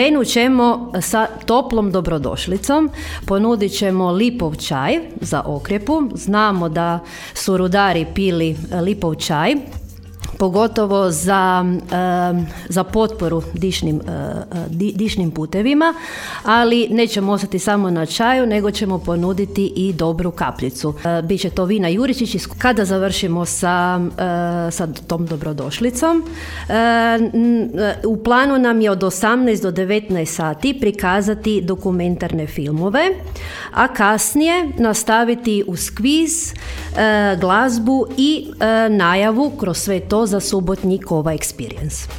Krenut ćemo sa toplom dobrodošlicom, ponudit ćemo lipov čaj za okrjepu. Znamo da su rudari pili lipov čaj, pogotovo za potporu dišnim putevima, ali nećemo ostati samo na čaju, nego ćemo ponuditi i dobru kapljicu. Biće to vina Juričić. Kada završimo sa tom dobrodošlicom, u planu nam je od 18 do 19 sati prikazati dokumentarne filmove, a kasnije nastaviti uz kviz, glazbu i najavu kroz sve to za subotnji Kova Experience.